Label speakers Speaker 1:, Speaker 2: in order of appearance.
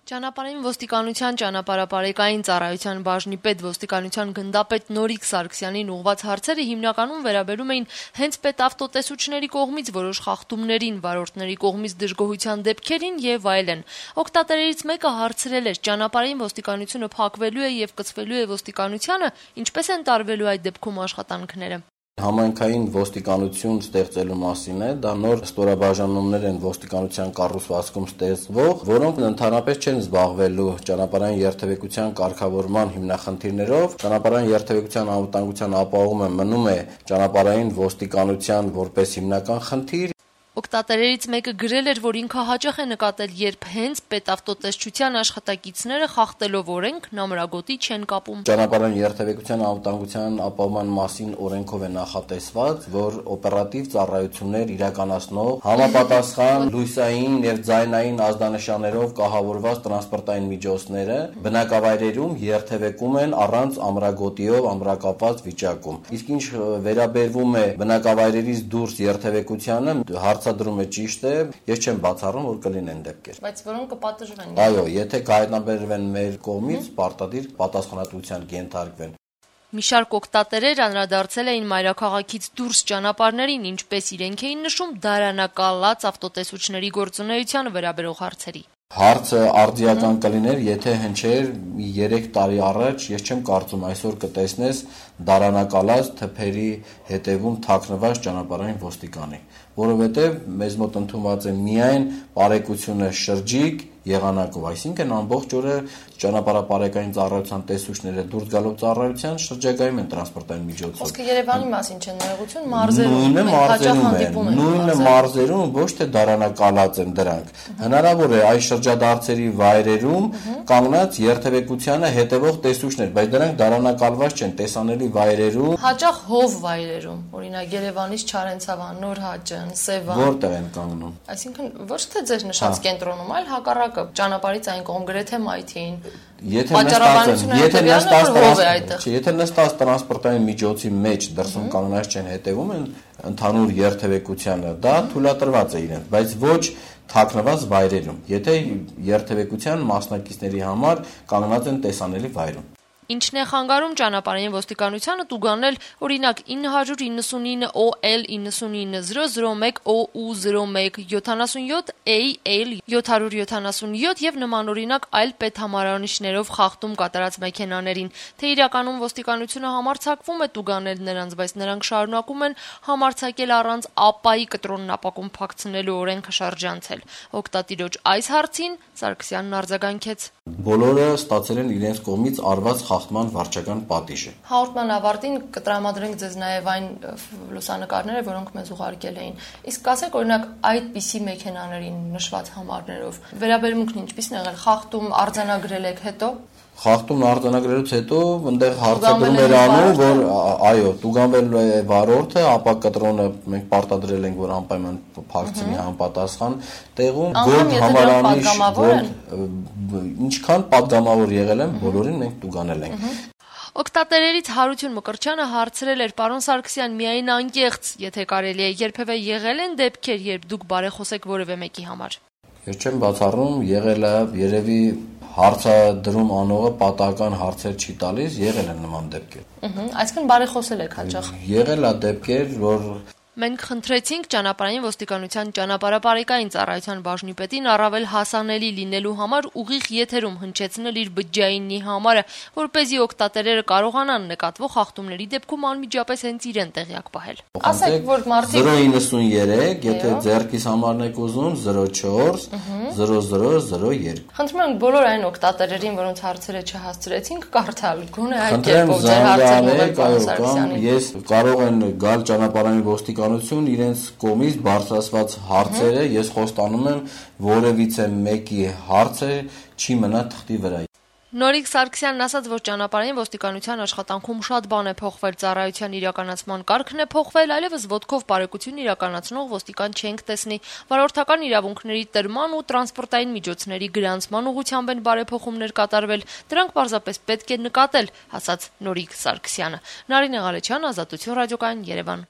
Speaker 1: Ճանապարհային ոստիկանության ճանապարհապարեկային ծառայության բաժնի պետ ոստիկանության գնդապետ Նորիկ Սարգսյանին ուղղված հարցերը հիմնականում վերաբերում էին հենց պետավտոտեսուչների կողմից որոշ խախտումներին, վարորդների կողմից դժգոհության դեպքերին եւ այլն։ Օգտատերերից մեկը հարցրել էր. ճանապարհային ոստիկանությունը փակվելու է եւ կցվելու է ոստիկանությանը, ինչպես են տարվելու այդ դեպքում աշխատանքները։
Speaker 2: Համայնքային ոստիկանություն ստեղծելու մասին է, դա նոր ստորաբաժանումներ են ոստիկանության կառուցվածքում ստեղծվող, որոնք ընդհանրապես չեն զբաղվելու ճանապարհային երթևեկության կարգավորման հիմնախնդիրներով։ Ճանապարհային երթևեկության անվտանգության ապահովումը մնում է ճանապարհային ոստիկանության որպես հիմնական խնդիր։
Speaker 1: Օգտատերերից մեկը գրել էր, որ ինքը հաճախ է նկատել, երբ հենց պետավտոտեսչության աշխատակիցները խախտելով օրենք նամրագոտի չեն կապում։
Speaker 2: Ճանապարհային երթևեկության անվտանգության ապահովման մասին օրենքով է նախատեսված, որ օպերատիվ ծառայություններ իրականացնող համապատասխան լույսային եւ ձայնային ազդանշաններով կահավորված տրանսպորտային միջոցները բնակավայրերում երթևեկում են առանց ամրագոտիով ամրակապված վիճակում։ Իսկ ինչ վերաբերվում է բնակավայրերից դուրս երթևեկությանը, հարցադրումը ճիշտ է, ես չեմ բացառում, որ կլինեն դեպքեր։
Speaker 1: Բայց որոնք կպատժվեն։
Speaker 2: Այո, եթե կհայտնաբերվեն մեր կողմից, պարտադիր պատասխանատվության կենթարկվեն։
Speaker 1: Մի շարք օգտատերեր անդրադարձել էին մայրաքաղաքից դուրս ճանապարհներին, ինչպես իրենք էին նշում, դարանակալած ավտոտեսուչների գործունեությանը վերաբերող հարցերի։
Speaker 2: Հարցը արդիական կլիներ, եթե հնչեր 3 տարի առաջ, ես չեմ կարծում այսօր կտեսնես դարանակալած թփերի հետևում թաքնված ճանապարհային ոստիկանի, որովհետև մեզ մոտ ընդունված է միայն բարեկությունը շրջիկ եղանակով, այսինքն ամբողջ օրը ճանապարհապարեկային ծառայության տեսուչները դուրս գալով ծառայության շրջագայում են տրանսպորտային միջոցով։
Speaker 1: Խոսքը Երևանի մասին չէ, ներողություն, մարզերում
Speaker 2: նույնը մարզերում ոչ թե դարանակալած են դրանք։ Հնարավոր է այս շրջադարձերի վայրերում կանգնած երթևեկությանը հետևող տեսուչներ, բայց դրանք դարանակալված չեն տեսանելի վայրերում։
Speaker 1: Հաճախ հով վայրերում, օրինակ Երևանից Չարենցավան, Նորհաճն, Սևան։
Speaker 2: Որտեղ են կանգնում։
Speaker 1: Այսինքն ոչ թե ձեր նշած կենտրոնում, այլ հակառակը ճանապարհից այն կողմ գրեթե մայթին։
Speaker 2: Եթե նստած տրանսպորտային միջոցի մեջ դրսում կանգնած չեն հետևում են ընդհանուր երթևեկությանը, դա թույլատրված է իրենց, բայց ոչ թաքնված վայրերում, եթե երթևեկության մասնակիցների համար կանգնած են տեսանելի վայրում։
Speaker 1: Ինչն է խանգարում ճանապարհային ոստիկանությանը տուգանել օրինակ 999 OL 99001 OU01 77 AL 777 եւ նմանօրինակ այլ պետհամարանիշներով խախտում կատարած մեքենաներին, թե իրականում ոստիկանությունը համարձակվում է տուգանել նրանց, բայց նրանք շարունակում են համարձակել առանց ապայի կտրոնն ապակում փակցնելու օրենքը շրջանցել։ Օգտատիրոջ այս հարցին Սարգսյանն արձագանքեց.
Speaker 2: Բոլորը ստացել են իրենց կողմից արված խախտման վարչական պատիժը։
Speaker 1: Հաղորդման ավարտին կտրամադրենք ձեզ նաև այն լուսանկարները, որոնք մեզ ուղարկել էին։ Իսկ ասեք, օրինակ, այդպիսի մեքենաներին նշված համարներով վերաբերմունքն ինչպիսին է եղել, խախտում արձանագրել եք հետո։
Speaker 2: Խախտումն արձանագրելուց հետո այնտեղ հարցադրում էր անում, որ այո, տուգանվել է վարորդը, ապա կտրոնը մենք պարտադրել ենք, որ անպայման փակցնի համապատասխան տեղում, որ համարանիշ, ինչքան պատգամավոր եղել են, բոլորին մենք տուգանել ենք։
Speaker 1: Օգտատերերից Հարություն Մկրտչյանը հարցրել էր. պարոն Սարգսյան, միայն անկեղծ, եթե կարելի է, երբևէ եղել են դեպքեր, երբ դուք բարեխոսեք որևէ մեկի համար։
Speaker 2: Ես չեմ բացառում, եղել է, երևի հարցադրում անողը պատահական հարցեր չի տալիս, եղել են նման դեպքեր։
Speaker 1: Այսինքն բարեխոսել եք հաճախ։
Speaker 2: Եղել է դեպքեր, որ
Speaker 1: Մենք խնդրեցինք ճանապարհային ոստիկանության ճանապարհապարեկային ծառայության բաժնի պետին առավել հասանելի լինելու համար ուղիղ եթերում հնչեցնել իր բջջայինի համարը, որպեսզի օգտատերերը կարողանան նկատվող խախտումների դեպքում անմիջապես հենց իրեն տեղյակ պահել։ Ասեք, որ մարդիկ
Speaker 2: 093, եթե ձեռքից համարն եք ուզում 04 0002։
Speaker 1: Խնդրում եմ բոլոր այն օգտատերերին, որոնց հարցերը չհասցրեցինք, կարդալ, գոնե այդ կերպով ձեր հարցերը պարոն Սարգսյանին։
Speaker 2: Ես կարող են գալ ճանապարհային ոստիկանություն իրենց կողմից բարձրացված հարցերը, ես խոստանում եմ որևիցե մեկի հարցը չի մնա թղթի վրա։
Speaker 1: Նորիկ Սարգսյանն ասաց, որ ճանապարհային ոստիկանության աշխատանքում շատ բան է փոխվել, ծառայության իրականացման կարգն է փոխվել, այլևս ոտքով բարեկություն իրականացնող ոստիկան չենք տեսնի։ Վարորդական իրավունքների տրման ու տրանսպորտային միջոցների գրանցման ուղղությամբ են բարեփոխումներ կատարվել։ Դրանք պարզապես պետք է նկատել, ասաց Նորիկ Սարգսյանը։ Նարինե Ղալեչյան, Ազատություն ռադիոկայան, Երևան։